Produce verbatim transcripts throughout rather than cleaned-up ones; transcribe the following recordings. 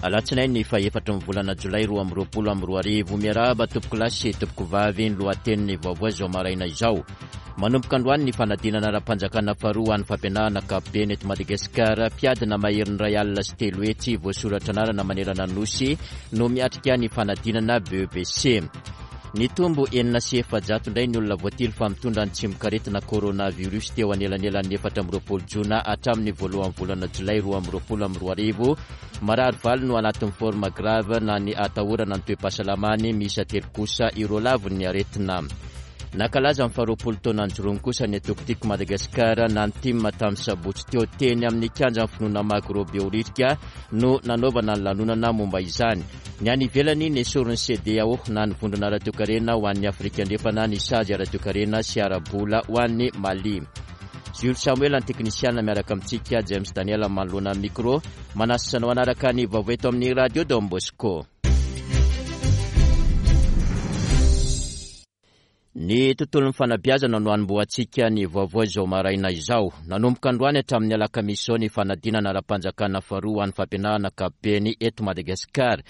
Alatsinainy fahaefatry ny volana Jolay roa amby roapolo amby roa arivo. Miarahaba tompokolahy sy tompokovavy, ny lohatenin'ny vaovao izao maraina izao. Manomboka androany ny fanadinana ara-panjakana faharoa ho an'ny fampianarana ankapobeny eto Madagasikara. Mpiadina maherin'ny iray alina sy telo hetsy voasoratra anarana manerana ny Nosy no miatrika ny fanadinana B E P C. Nitombo enina sy efajato indray ny olona voatily fa mitondra ny tsimokaretina coronavirus teo anelanelan'ny efatra amby roapolo jona hatramin'ny voalohan'ny volana Jolay roa amby roapolo amby roa arivo. Marary valo no anatin'ny forme grave na ny atahorana ny toe-pahasalamany, miisa telo kosa ireo lavon'ny aretina. Nankalaza ny faharoapolo taona nijoroany kosa ny antoko Tiako Madagasikara na ny TIM tamin'ny sabotsy teo. Teny amin'ny kianjan'ny Finoana Magro Behoririka no nanaovana ny lanonana momba izany. Ny any ivelany, nesorin'ny CEDEAO na ny vondrona ara-toekarena ho an'ny Afrika Andrefana ny sazy ara-toekarena sy ara-bola ho an'ny Mali. Jules Samuel ny teknisiana miaraka amintsika, James Daniel manoloana micro. Manasa anao hanaraka ny vaovao eto amin'ny Radio Don Bosco. Ny tontolon'ny fanabeazana no anombohantsika ny vaovao izao maraina izao. Nanomboka androany hatramin'ny alakamisy izao ny fanadinana ara-panjakana faharoa ho an'ny fampianarana ankapobeny eto Madagasikara.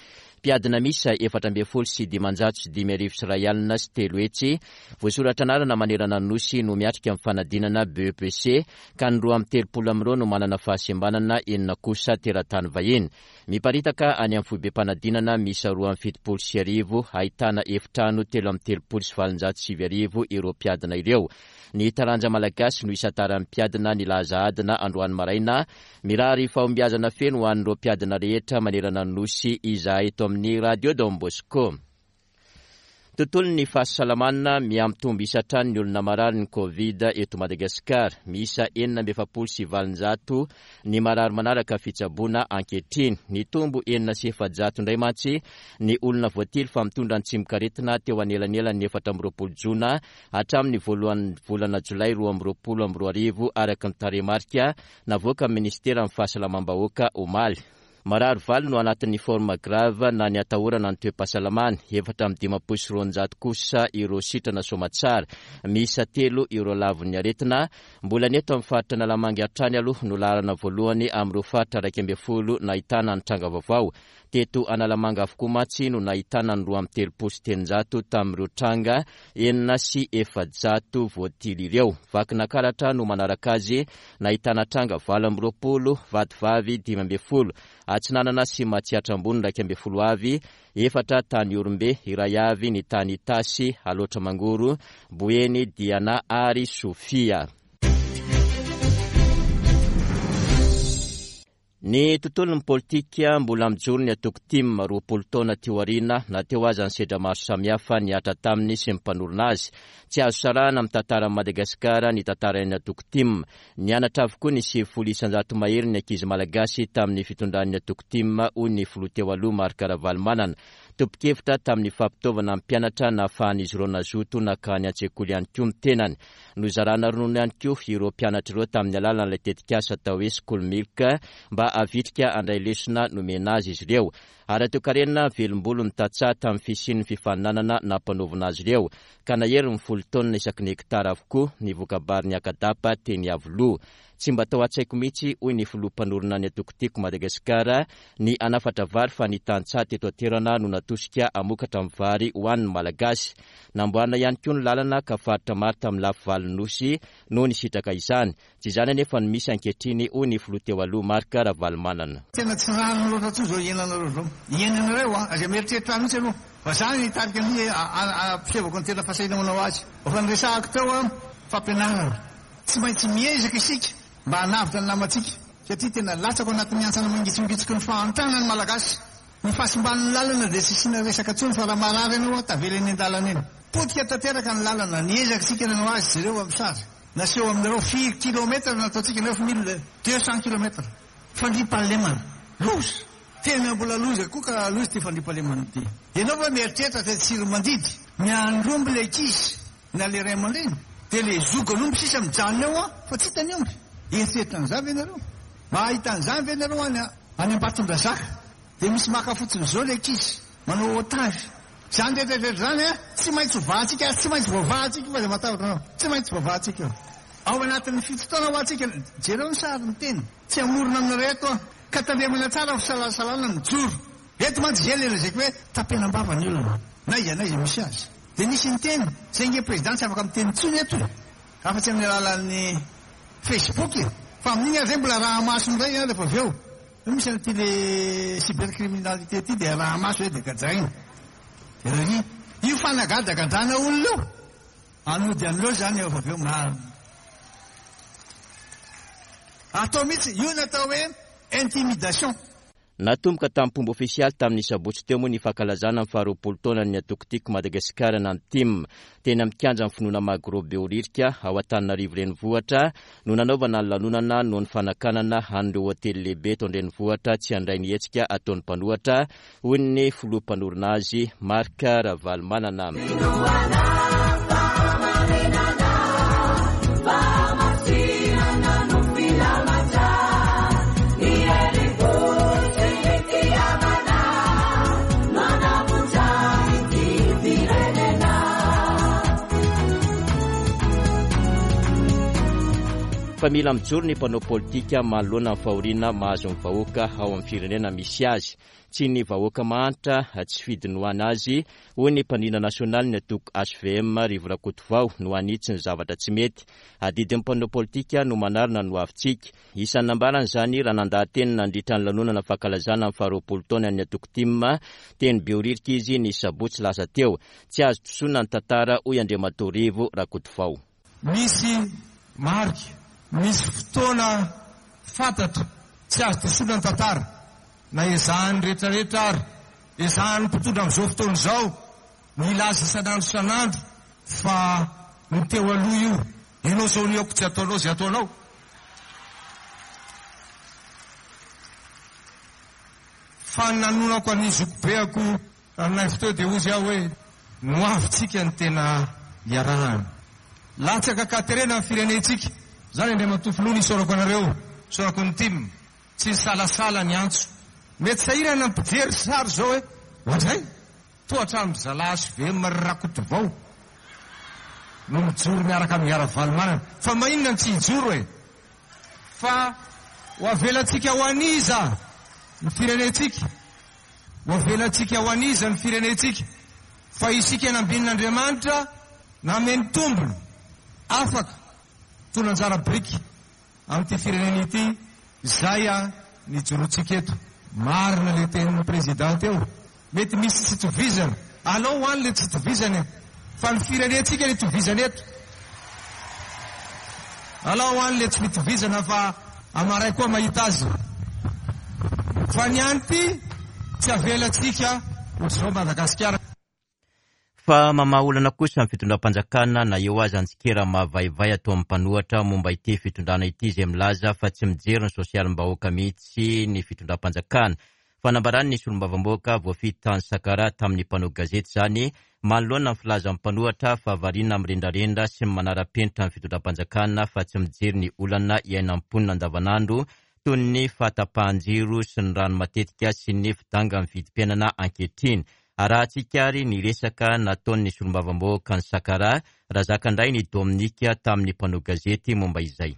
Mpiadina miisa efatra ambin'ny folo sy dimanjato sy dimy arivo sy iray alina sy telo hetsy voasoratra anarana manerana ny Nosy no miatrika ny fanadinana B E P C, ka ny roa amby telopolo amin'ireo no manana fahasembanana, enina kosa teratany vahiny. Miparitaka any amin'ny foibem-panadinana miisa roa amby fitopolo sy arivo ahitana efitrano telo amby telopolo sy valonjato sivy arivo ireo mpiadina ireo. Ny taranja malagasy no isantaran'ny mpiadina ny laza adina androany maraina. Mirary fahombiazana feno ho an'ireo mpiadina rehetra manerana ny Nosy izahay eto amin'ny Radio Don Bosco. Tontolon'ny fahasalamana, mihamitombo isa hatrany ny olona marary ny Covid eto Madagasikara. Miisa enina amby efapolo sy valonjato ny marary manaraka fitsaboana ankehitriny. Nitombo enina sy efajato indray mantsy ny olona voatily fa mitondra ny tsimokaretina teo anelanelan'ny efatra amby roapolo jona hatramin'ny voalohan'ny volana Jolay roa amby roapolo amby roa arivo, araka ny tarehimarika navoaka amin'ny ministeran'ny fahasalamam-bahoaka omaly. Marary valo no anatin'ny forme grave na ny atahorana ny toe-pahasalamany, efatra amby dimampolo sy roanjato kosa ireo sitrana soamantsara, miisa telo ireo lavon'ny aretina. Mbola ny eto amin'ny faritra Analamanga hatrany aloha no laharana voalohany amin'ireo faritra iraika ambin'ny folo nahitana ny tranga vaovao. Teto Analamanga avokoa mantsy no nahitana ny roa amby telopolo sy telonjato tamin'ireo tranga enina sy efajato voatily ireo. Vakinankaratra no manaraka azy, nahitana tranga valo amby roapolo, Vatovavy dimy ambin'ny folo, Atsinanana sy Matsiatra Ambony iraika ambin'ny folo avy, efatra tany Ihorombe, iray avy ny tany Itasy, Alaotra Mangoro, Boeny, Diana ary Sofia. Ny tontolon'ny politika, mbola mijoro ny antoko TIM roapolo taona teo aoriana, na teo aza ny sedra maro samihafa nihatra taminy sy ny mpanorina azy. Tsy azo sarahana amin'ny tantaran'i Madagasikara ny tantaran'ny antoko TIM. Nianatra avokoa ny sivifolo isanjato mahery ny ankizy malagasy tamin'ny fitondran'ny antoko TIM, hoy ny filoha teo aloha Marc Ravalomanana. Tompon-kevitra tamin'ny fampitaovana ny mpianatra nahafahan'izy ireo nazoto nankany an-tsekoly ihany koa ny tenany. Nozarana ronono ihany koa ireo mpianatra ireo tamin'ny alalan'ilay tetikasa atao hoe School Milk mba havitrika handray lesona nomena azy izy ireo. Ara-toekarena, velombolo ny tantsaha tamin'ny fisian'ny fifaninanana nampanaovina azy ireo, ka nahery ny folo taonina isaky ny hektara avokoa ny voka-bary ny Akadapa teny Iavoloha. Tsy mba tao an-tsaiko mihitsy, hoy ny filoha mpanorina ny antoko Tiako Madagasikara, ny hanafatra vary, fa ny tantsaha teto an-toerana no natosika hamokatra ny vary ho an'ny Malagasy. Namboarina ihany koa ny lalana, ka faritra maro tamin'ny lafy valon'ny Nosy no nisitraka izany. Tsy izany anefa no misy ankehitriny, hoy ny filoha teo aloha Marc Ravalomanana. Tena tsy rariny loatra intsony izao iainanareo izao. Iainanareo an, aza mieritreritra mihitsy aloha. Fa za nitarika ny ampisehoko ny tena fahasahiana manao azy. Efa niresahako teo an, fampianarana. Tsy maintsy miezaka isika mba hanavotra ny namantsika, satria tena latsaka ao anatin'ny hantsana mangitsongitsiky ny fahantrana ny Malagasy. Ny fahasimban'ny lalana dia tsy asiana resaka intsony, fa raha marary ianao an, tavela eny an-dalana eny. Potika tanteraka ny lalana, niezaka isika nanao azy, jereo amin'ny sary. Naseho aminareo firy kilomètre nataontsika, neuf mille deux cents kilomètres. Fandriampahalemana, loza! Tena mbola loza koa ka loza ity fandriampahalemana ity. Ianao va mieritreritra fa Tsiromandidy miandry omby ilay ankizy na ilay ray aman-dreny, dia ilay zogan'omby sisa mijanona eo an, fa tsy hita ny omby. Eritreritra an'izany ve ianareo? Mba hahita an'izany ve ianareo any any Ambatondrazaka? Dia misy maka fotsiny izao ilay ankizy, manao otage. Izany rehetra rehetra izany an, tsy maintsy hovahantsika ary tsy maintsy voavahantsika io fa aza matahotra anao. Tsy maintsy voavahantsika io. Ao anatin'ny fito taona ho antsika, jereo ny sary miteny, tsy hamorona aminareo eto aho. Ka tandremana tsara fisalasalana mijoro. Eto mantsy zay le lazaiko hoe tapenam-bava ny olona. Na iza na iza misy azy. Dia nisy niteny, zay nge président tsy afaka miteny intsony eto. Afa-tsy amin'ny alalan'ny Facebook. Fa amin'iny ary zay mbola raha maso indray rehefa avy eo. Misy an'ity le cybercriminalité ty dia raha maso hoe dia gadraina. Dia io fanagadragadrana olona io. Anody an'ireo zany eo avy eo marina. Atao mihitsy io natao hoe intimidation. Natomboka tamin'ny fomba ofisialy tamin'ny sabotsy teo moa ny fankalazana ny faharoapolo taonan'ny antoko Tiako Madagasikara na ny TIM. Teny amin'ny kianjan'ny Finoana Magro Behoririka ao Antananarivo renivohitra no nanaovana ny lanonana noho ny fanakanana an'ireo hotely lehibe eto an-drenivohitra tsy handray ny hetsika ataon'ny mpanohitra, hoy ny filoha mpanorina azy Marc Ravalomanana. Fa mila mijoro ny mpanao politika manoloana ny fahoriana mahazo ny vahoaka ao amin'ny firenena misy azy. Tsy ny vahoaka mahantra tsy fidiny ho anazy, hoy ny mpandrindra nasionaly ny antoko H V M Rivo Rakotovao no hanitsy ny zavatra tsy mety. Adidin'ny mpanao politika no manarina ny hoavintsika. Isan'ny nambarany izany raha nandaha-teny nandritra ny lanonana fankalazana ny faharoapolo taonan'ny antoko T I M teny Behoririka izy ny sabotsy lasa teo. Tsy azo disoana ny tantara, hoy Andriamatoa Rivo Rakotovao. Misy marika, misy fotoana fantatra, tsy azo disoana ny tantara. Na ezahan'ny rehetrarehetra ary ezahan'ny mpitondra amin'izao fotoana izao milaza isan'andro isan'andro fa ny teo aloha io, ianao izao ny aoko tsy ataonao izay ataonao. Fa nanonako an'ny zokibeako Ranaivo teo dia hozy aho hoe noavintsika ny tena iarahana. Latsaka ankaterena ny firenentsika. Izany Andriamatoa Filoha, nisaorako anareo, isaorako ny T I M. Tsy nisalasala ny antso. Mety sahirana ny mpijery sary izao hoe ohatray toa hatramin'ny zalahy H V M Rakotovao no mijoro miaraka amin'ny Ravalomanana. Fa maninona ny tsy hijoro e? Fa ho avelantsika ho an'iza ny firenentsika? Ho avelantsika ho an'iza ny firenentsika? Fa isika nambinin'Andriamanitra nameny tombony afaka tona anjara biriky amin'ity firenena ity izay a nijoroantsika eto. Marina le tenin'ny président teo, mety misy tsy tovizana, alao ho any le tsy tovizana e, fa ny firenentsika le tovizana eto. Alao ho any le tsy fitovizana fa amaray koa mahita azy. Fa ny any ty tsy avelantsika ohatr'izao Madagasikara. Fa mamaha olana kosa ny fitondram-panjakana na eo aza ny tsikera mahavaivay ataon'ny mpanohitra momba ity fitondrana ity izay milaza fa tsy mijery ny sosialim-bahoaka mihitsy ny fitondram-panjakana. Fanambarany ny solombavambahoaka voafidy tany Sakaraha tamin'ny mpanao gazety izany manoloana ny filazan'ny mpanohitra fa variana amin'ny rendrarendra sy ny manara-penitra ny fitondram-panjakana fa tsy mijery ny olana iainan'ny mponina andavanandro toy ny fahatapahan-jiro sy ny rano matetika sy ny fidangan'ny vidim-piainana ankehitriny. Arahantsika ary ny resaka nataon'ny solombavambahoaka ny Sakaraha Razakandrainy Dominique tamin'ny mpanao gazety momba izay.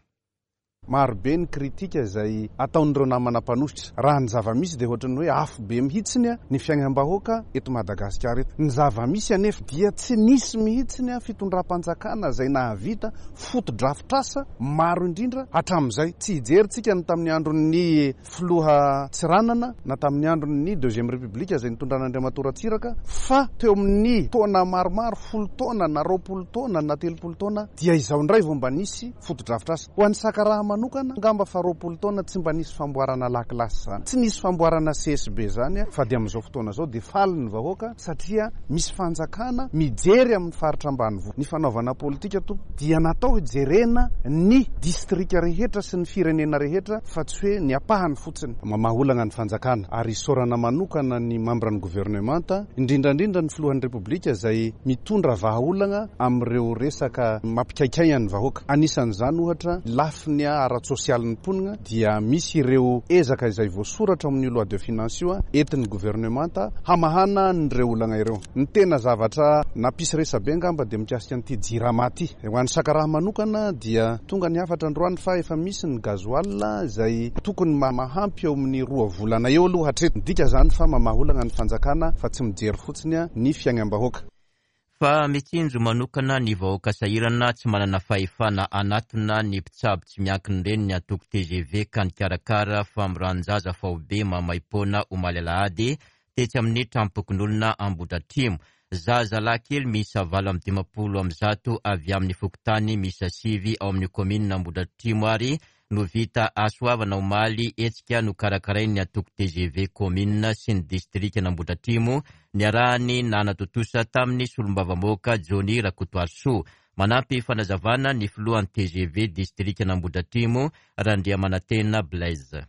Marobe ny kritika izay ataon'ireo namana mpanohitra. Raha ny zava-misy dia ohatran'ny hoe afo be mihitsiny ny fiainam-bahoaka eto Madagasikara eto. Ny zava-misy anefa dia tsy nisy mihitsiny fitondram-panjakana izay nahavita fotodrafitrasa maro indrindra hatramin'izay. Tsy hijerintsika ny tamin'ny andron'ny filoha Tsiranana na tamin'ny andron'ny deuxième république izay nitondran'Andriamatoa Ratsiraka, fa teo amin'ny taona maromaro, folo taona na roapolo taona na telopolo taona dia izao indray vao mba nisy fotodrafitrasa. Ho an'ny Sakaraha manokana, angamba fa roapolo taona tsy mba nisy famboarana lakilasy izany, tsy nisy famboarana C S B izany, fa dia amin'izao fotoana izao dia faly ny vahoaka satria misy fanjakana mijery amin'ny faritra ambanivohitra. Ny fanaovana politika tompo dia natao hijerena ny distrika rehetra sy ny firenena rehetra fa tsy hoe ny ampahany fotsiny. Mamaha olana ny fanjakana ary isaorana manokana ny mambran'ny governemanta, indrindra indrindra ny filohan'ny Repoblika izay mitondra vahaolana amin'ireo resaka mampikaikaina ny vahoaka. Anisan'izany ohatra lafiny ara-tsosialin'ny mponina dia misy ireo ezaka izay voasoratra amin'io loi de finance io entin'ny governemanta hamahana an'ireo olana ireo. Ny tena zavatra nampisy resabe angamba dia mikasika an'ity Jirama ity. Ho an'ny Sakaraha manokana dia tonga ny hafatra androany fa efa misy ny gasoil izay tokony mahampy eo amin'ny roa volana eo aloha hatreto. Midika izany fa mamaha olana ny fanjakana fa tsy mijery fotsiny ny fiainam-bahoaka. Fa mitsinjo manokana ny vahoaka sahirana tsy manana fahefana hanatona ny mpitsabo tsy miankina ireny ny antoko T G V ka nikarakara famoran-jaza faobe maimaimpoana omaly alahady tetsy amin'ny tranom-pokonolona Ambohidratrimo. Zazalahy kely miisa valo amby dimampolo amby zato avy amin'ny fokontany miisa sivy ao amin'ny kaominina Ambohidratrimo ary no vita hasoavana omaly, hetsika nokarakarain'ny antoko T G V kaominina sy ny distrikan'Ambohidratrimo niarahany nanatontosa tamin'ny solombavambahoaka Johnny Rakotoarisoa. Manampy fanazavana ny filohan'ny T G V distrikan'Ambohidratrimo, Randriamanantena Blaise.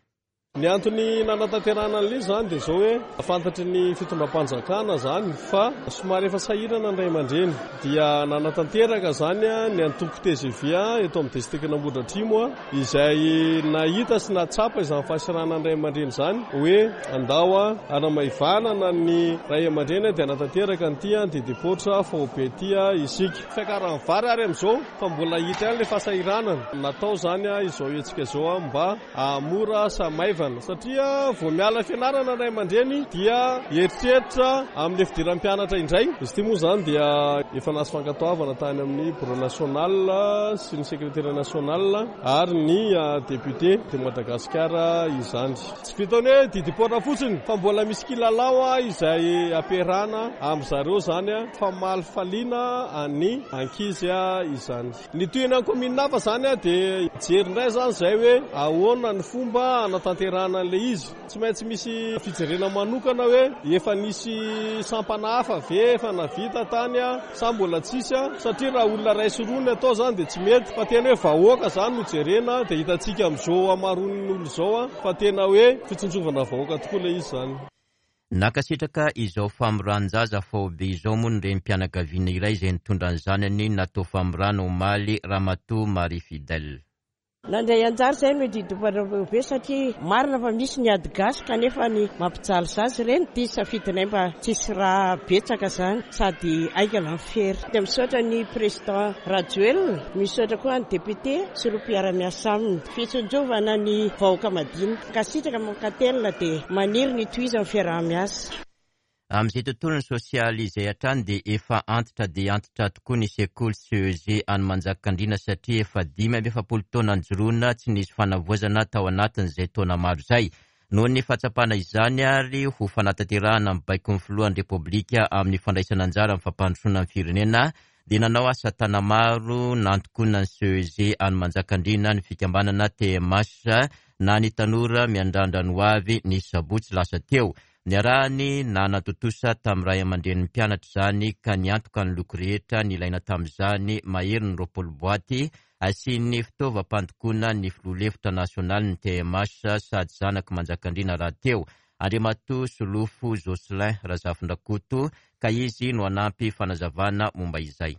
Ny antony nanatanterahana an'ilay zany dia zao hoe fantatry ny fitondram-panjakana zany fa somary efa sahirana ny ray aman-dreny, dia nanatanteraka zany ny antoko T G V eto amin'ny distrikan'Ambohidratrimo a izay nahita sy natsapa izany fahasahiranana ny ray aman-dreny zany hoe andao a hanamaivanana ny ray aman-dreny dia nanatanteraka an'ity didim-poitra faobe ty isika. Fiakaran'ny vary ary amin'izao fa mbola hita ihany ilay fahasahiranana natao zany izao hetsika izao mba hahamora sy hamaivana, satria vao miala fianarana ray aman-dreny dia eritreritra amin'ny fidiran'ny mpianatra indray. Izy ity moa zany dia efa nahazo fankatoavana tany amin'ny bureau national sy ny secrétaire national ary ny député de Madagascar izany. Tsy vitany hoe didim-poitra fotsiny fa mbola misy kilalao a izay ampiarahana amin'ny zareo zany a famalifaliana ny ankizy a izany. Ny tohina ny commune hafa zany a dia jery indray zany zay hoe ahoana ny fomba anatanterahana an'ilay izy. Tsy maintsy misy fijerena manokana hoe efa nisy sampana hafa ve efa navita tany a sa mbola tsisy a satria raha olona ray sy roa ny atao zany dia tsy mety, fa tena hoe vahoaka zany no jerena, dia hitantsika amin'izao hamaroan'ny olo izao a fa tena hoe fitsinjovana vahoaka tokoa ilay izy zany. Nankasitraka izao famoran-jaza faobe izao moa ny renim-pianakaviana iray izay nitondra ny zanany natao famorana omaly, Ramatoa Marie Fidèle. Nandray anjara zay no didim-poitra satria marina fa misy ny ady gasy kanefa ny mampijaly zazy ireny ty safidinay mba tsisy raha betsaka zany sady aingana ny fery. Dia misaotra ny président Rajoelina, misaotra koa ny député sy ireo mpiara-miasa aminy, fitsinjovana ny vahoaka madinika. Mankasitraka, mankatelina, dia maniry ny tohizan'ny fiaraha-miasa. Amin'izay tontolo ny sosialy izay hatrany dia efa antitra dia antitra tokoa ny sekoly C E G any Manjakandriana, satria efa dimy amby efapolo taona nijoroana tsy nisy fanavaozana tao anatin'izay taona maro izay. Noho ny fahatsapana izany ary ho fanatanterahana ny baikon'ny filohan'ny Repoblika amin'ny fandraisana anjara amin'ny fampandrosoana ny firenena, dia nanao asa tanamaro nandokoana ny C E G any Manjakandriana ny fikambanana T M H na ny Tanora Miandrandra ny Hoavy ny sabotsy lasa teo. Niarahany nanatontosa tamin'ny ray aman-drenin'ny mpianatra izany ka niantoka ny loko rehetra ny ilaina tamin'izany, mahery ny roapolo boaty asian'ny fitaovam-pandokoana, ny filoha lefitra nasionaly ny T M H sady zanaky Manjakandriana raha teo, Andriamatoa Solofo Jocelyn Razafindrakoto, ka izy no anampy fanazavana momba izay.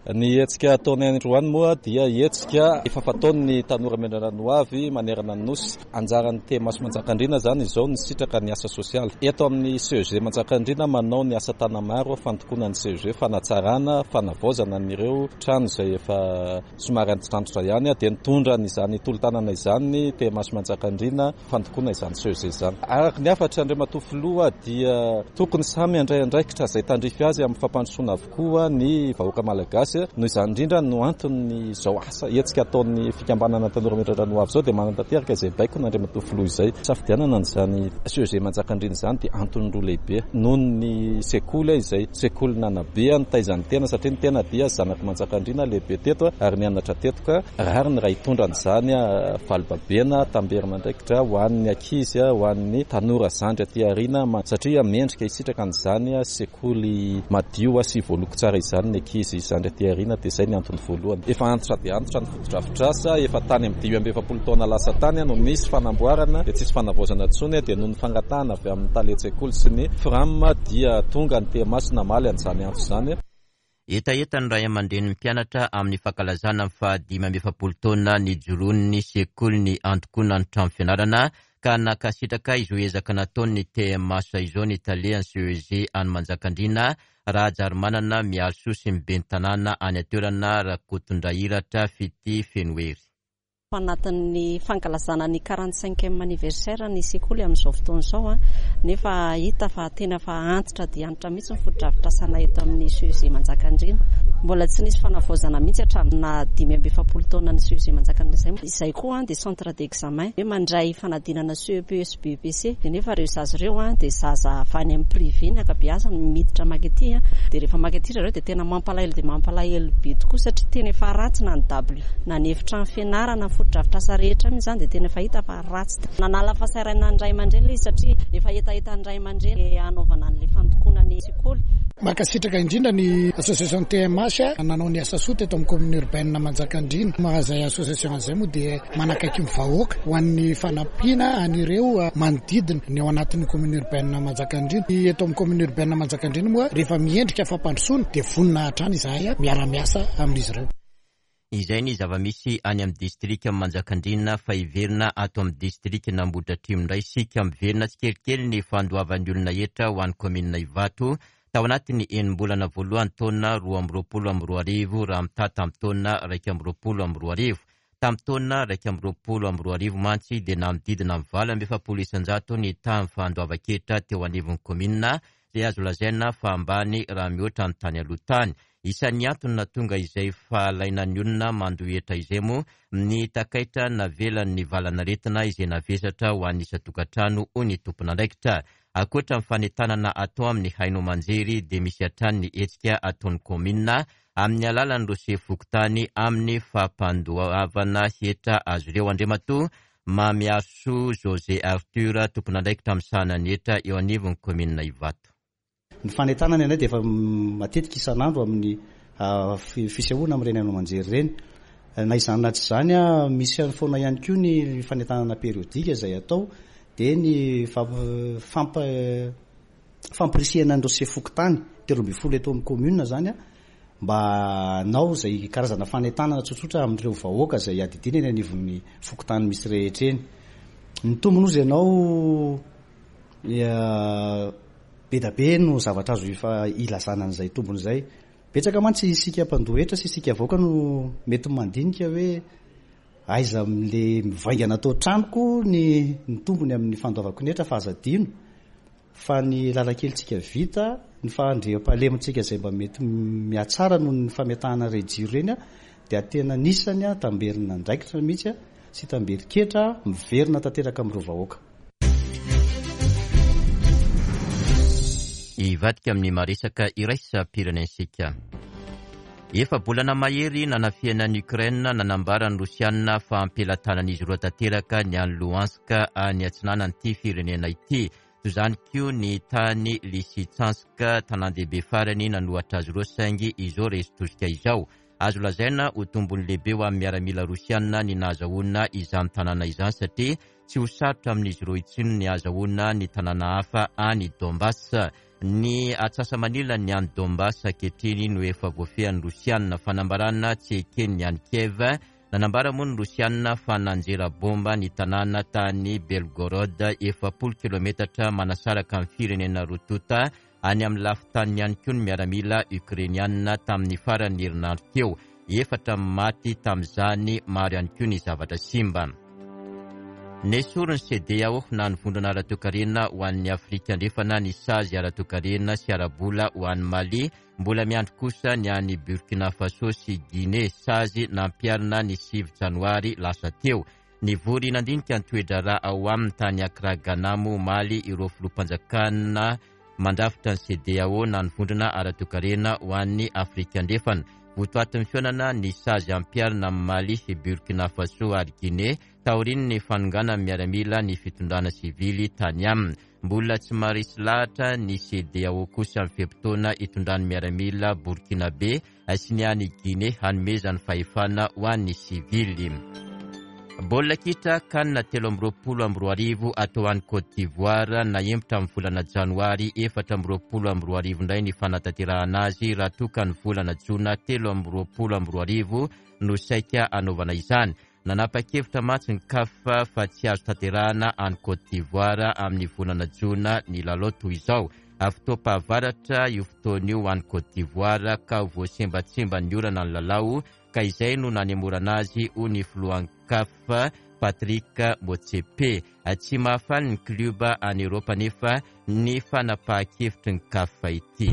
Ny hetsika ataony androany moa dia hetsika efa fataony Tanora Miandrandra ny Hoavy manerana ny nosy. Anjaran'ny T M H Manjakandriana zany izao ny sitraka ny asa sosialy eto amin'ny C E G Manjakandriana, manao ny asa tanamaro fandokoana ny C E G, fanatsarana, fanavaozana an'ireo trano izay efa somary antitrantitra ihany. Dia nitondra nyizany tolo-tanana izany ny T M H Manjakandriana fandokoana izany C E G zany. Araka ny hafatra Andriamatoa filoha dia tokony samy andray andraikitra izay tandrify azy amin'ny fampandrosoana avokoa ny vahoaka malagasy. Noho izany indrindra no antony zao asa hetsika ataon'ny fikambanana Tanora Miandrandra ny Hoavy zao, dia manatanteraka izay baiko n'Andriamatoa filoha izay. Safidianana n'izany C E G Manjakandriana izany dia antony roa lehibe: noho ny sekoly izay sekoly nanabe nitaizan'ny tena, satria ny tena dia zanaky Manjakandriana, lehibe teto ary nianatra teto, ka rariny raha hitondra an'izany valibabena tamberina andraikitra ho an'ny ankizy, ho an'ny tanora zandry aty aoriana, satria mendrika hisitraka an'izany sekoly madio sy voaloko tsara izany ny ankizy zandry aty aoriana. Dia izay ny antony voalohany. Efa antitra dia antitra ny fotodrafitrasa, efa tany amin'ny dimy amby efapolo taona lasa tany no nisy fanamboarana, dia tsisy fanavaozana intsony. Dia noho ny fangatahana avy amin'ny talen-tsekoly sy ny FRAM dia tonga ny T M H namaly an'izany antso izany. Hetaheta ny ray aman-drenin'ny mpianatra amin'ny fankalazana ny fahadimy amby efapolo taona nijoroan'ny sekolin'ny antokonan'ny trano fianarana ka nankasitraka izao ezaka nataon'ny T M H izao ny talehan'ny C E G any Manjakandriana, Rahajarimanana Miarisoa, sy ny ben'ny tanàna any an-toerana, Rakotondrahiratra Fity Fenohery. Anatin'ny fankalazana ny quarante cinquième anniversaire ny sekoly amin'izao fotoana izao a, nefa hita fa tena fa antitra dia antitra mihitsy ny fotodrafitrasana eto amin'ny C E G Manjakandriana. Mbola tsy nisy fanavaozana mihitsy hatramin'ny dimy amby efapolo taona ny C E G Manjakandriana. Izay izay koa dia centre d'examen hoe mandray fanadinana C E P sy B E P C, dia nefa ireo zaza ireo a dia zaza avy any amin'ny privé ny ankabeazany miditra makaty a. Dia rehefa makaty zareo dia tena mampalahelo, dia mampalahelo be tokoa, satria tena efa ratsy na ny dabilio na ny efitrano fianarana, fotodrafitrasa rehetra mihitsy zany dia tena efa hita fa ratsy. Nanala fahasahiranana ny ray aman-dreny ilay izy, satria efa hetaheta ny ray aman-dreny hanaovana an'ilay fandokoana ny sekoly. Mankasitraka indrindra ny association T M H nanao ny asa soa teto amin'ny commune urbaine Manjakandriana. Mazay association an'izay moa dia manakaiky ny vahoaka ho an'ny fanampiana an'ireo manodidina ny ao anatin'ny commune urbaine Manjakandriana. Eto amin'ny commune urbaine Manjakandriana moa, rehefa miendrika fampandrosoana dia vonona hatrany izahay miara-miasa amin'izy ireo. Izay ny zava-misy any amin'ny distrika Manjakandriana, fa hiverina ato amin'ny distrika Ambohidratrimo indray isika. Miverina tsikelikely ny fandoavan'ny olona hetra ho an'ny kaominina Ivato tao anatin'ny enim-bolana voalohany taona roa amby roapolo amby roa arivo raha mitaha tamin'ny taona raika amby roapolo amby roa arivo. Tamin'ny taona raika amby roapolo amby roa arivo mantsy dia nanodidina amin'ny valo amby efapolo isanjato ny tahan'ny fandoavan-ketra teo anivon'ny kaominina, izay azo lazaina fa ambany raha mihoatra ny tany aloha tany. Isan'ny antony nahatonga izay fahalainan'ny olona mandoa hetra izay moa ny takaitra navelan'ny valan'aretina izay navesatra ho an'ny isan-tokantrano, hoy ny tompon'andraikitra. Ankoatra ny fanentanana atao amin'ny haino aman-jery dia misy hatrany ny hetsika ataon'ny kaominina amin'ny alalan'ireo sefo fokontany amin'ny fampandoavana hetra azy ireo. Andriamatoa Mamiaso José Arthur, tompon'andraikitra misahana ny hetra eo anivon'ny kaominina Ivato. Ny fanentanana indray dia efa matetika isan'andro amin'ny fisehoana amin'ireny haino aman-jery ireny. Na izany na tsy izany a, misy any foana ihany koa ny fanentanana périodique izay atao, dia ny fampa fampirisihana an'ireo sefo fokontany telo amby folo eto amin'ny commune zany a, mba hanao zay karazana fanentanana tsotsotra amin'ireo vahoaka zay adidina eny anivon'ny fokontany misy rehetra eny. Ny tombony ozy ianao be da be no zavatra azo efa ilazana an'izay tombony zay. Betsaka mantsy isika mpandoa hetra sy isika vahoaka no mety mandinika hoe aiza am'le mivaingana atao tranoko ny ny tombony amin'ny fandoavako ny hetra, fa aza adino fa ny lalakelitsika vita, ny fahandriampahalemantsika zay mba mety miatsara noho ny fametahana re jiro reny a, dia tena nisany a tamberina andraikitra mihitsy a sy tamberin-ketra miverina tanteraka amin'ireo vahoaka. Hivadika amin'ny maresaka iraisam-pirenentsika. Efa-bolana mahery nanafihana ny Ukraine, nanambara ny Rosianina fa am-pelatanan'izy roa tanteraka ny any Luhansk any atsinanan'ity firenena ity. Toy izany koa ny tany Lysychansk, tanàn-dehibe farany nanohatra azy ireo, saingy izao resy tosika izao. Azo lazaina ho tombony lehibe ho amin'ny miaramila rosianina ny nahazahoana izany tanàna izany, satria tsy ho sarotra amin'izy ireo intsony ny ahazahoana ny tanàna hafa any Donbass. Ny atsasa-manila ny any Donbass ankehitriny no efa voafehin'ny Rosianina, fanambarana tsy eken'ny any Kiev. Nanambara moa ny Rosianina fa nanjera bomba ny tanàna tany Belgorod, efapolo kilometatra manasaraka amin'ny firenena roa tonta any amin'ny lafin-taniny ihany koa ny miaramila ukrainianina tamin'ny faran'ny herinandro teo. Efatra maty tamin'izany, maro ihany koa ny zavatra simba. Nesorin'ny C E D E A O na ny vondrona ara-toekarena ho an'ny Afrika Andrefana ny sazy ara-toekarena sy ara-bola ho an'ny Mali. Mbola miandry kosa ny any Burkina Faso sy Guinée, sazy nampiharina ny sivy janoary lasa teo. Nivory nandinika ny toe-draharaha ao aminy tany Accra, Ghana moa omaly ireo filoham-panjakana mandrafitra ny C E D E A O na ny vondrona ara-toekarena ho an'ny Afrika Andrefana. Votoatin'ny fihaonana ny sazy ampiharina amin'ny Mali, Burkina Faso ary Guinée taorian'ny fanonganan'ny miaramila ny fitondrana sivily tany aminy. Mbola tsy maharesy lahatra ny C E D E A O kosa amin'ny fe-potoana hitondran'ny miaramila burkinabe sy ny any Guinée hanomezany fahefana ho an'ny sivily. Baolina kitra CAN telo amby roapolo amby roa arivo atao any Côte d'Ivoire. Nahemotra amin'ny volana janoary efatra amby roapolo amby roa arivo indray ny fanatanterahana azy, raha toa ka ny volana jona telo amby roapolo amby roa arivo no saika anaovana izany. Nanapa-kevitra mantsy ny CAF fa tsy azo tanterahana any Côte d'Ivoire amin'ny volana jona ny lalao toy izao. Fotoam-pahavaratra io fotoana io any Côte d'Ivoire ka voasembatsemba ny orana ny lalao, ka izay no nanemorana azy, hoy ny filohan'ny CAF Patrick Motsepe. Tsy mahafaly ny klioba any Eoropa nefa ny fanapahan-kevitry ny CAF ity.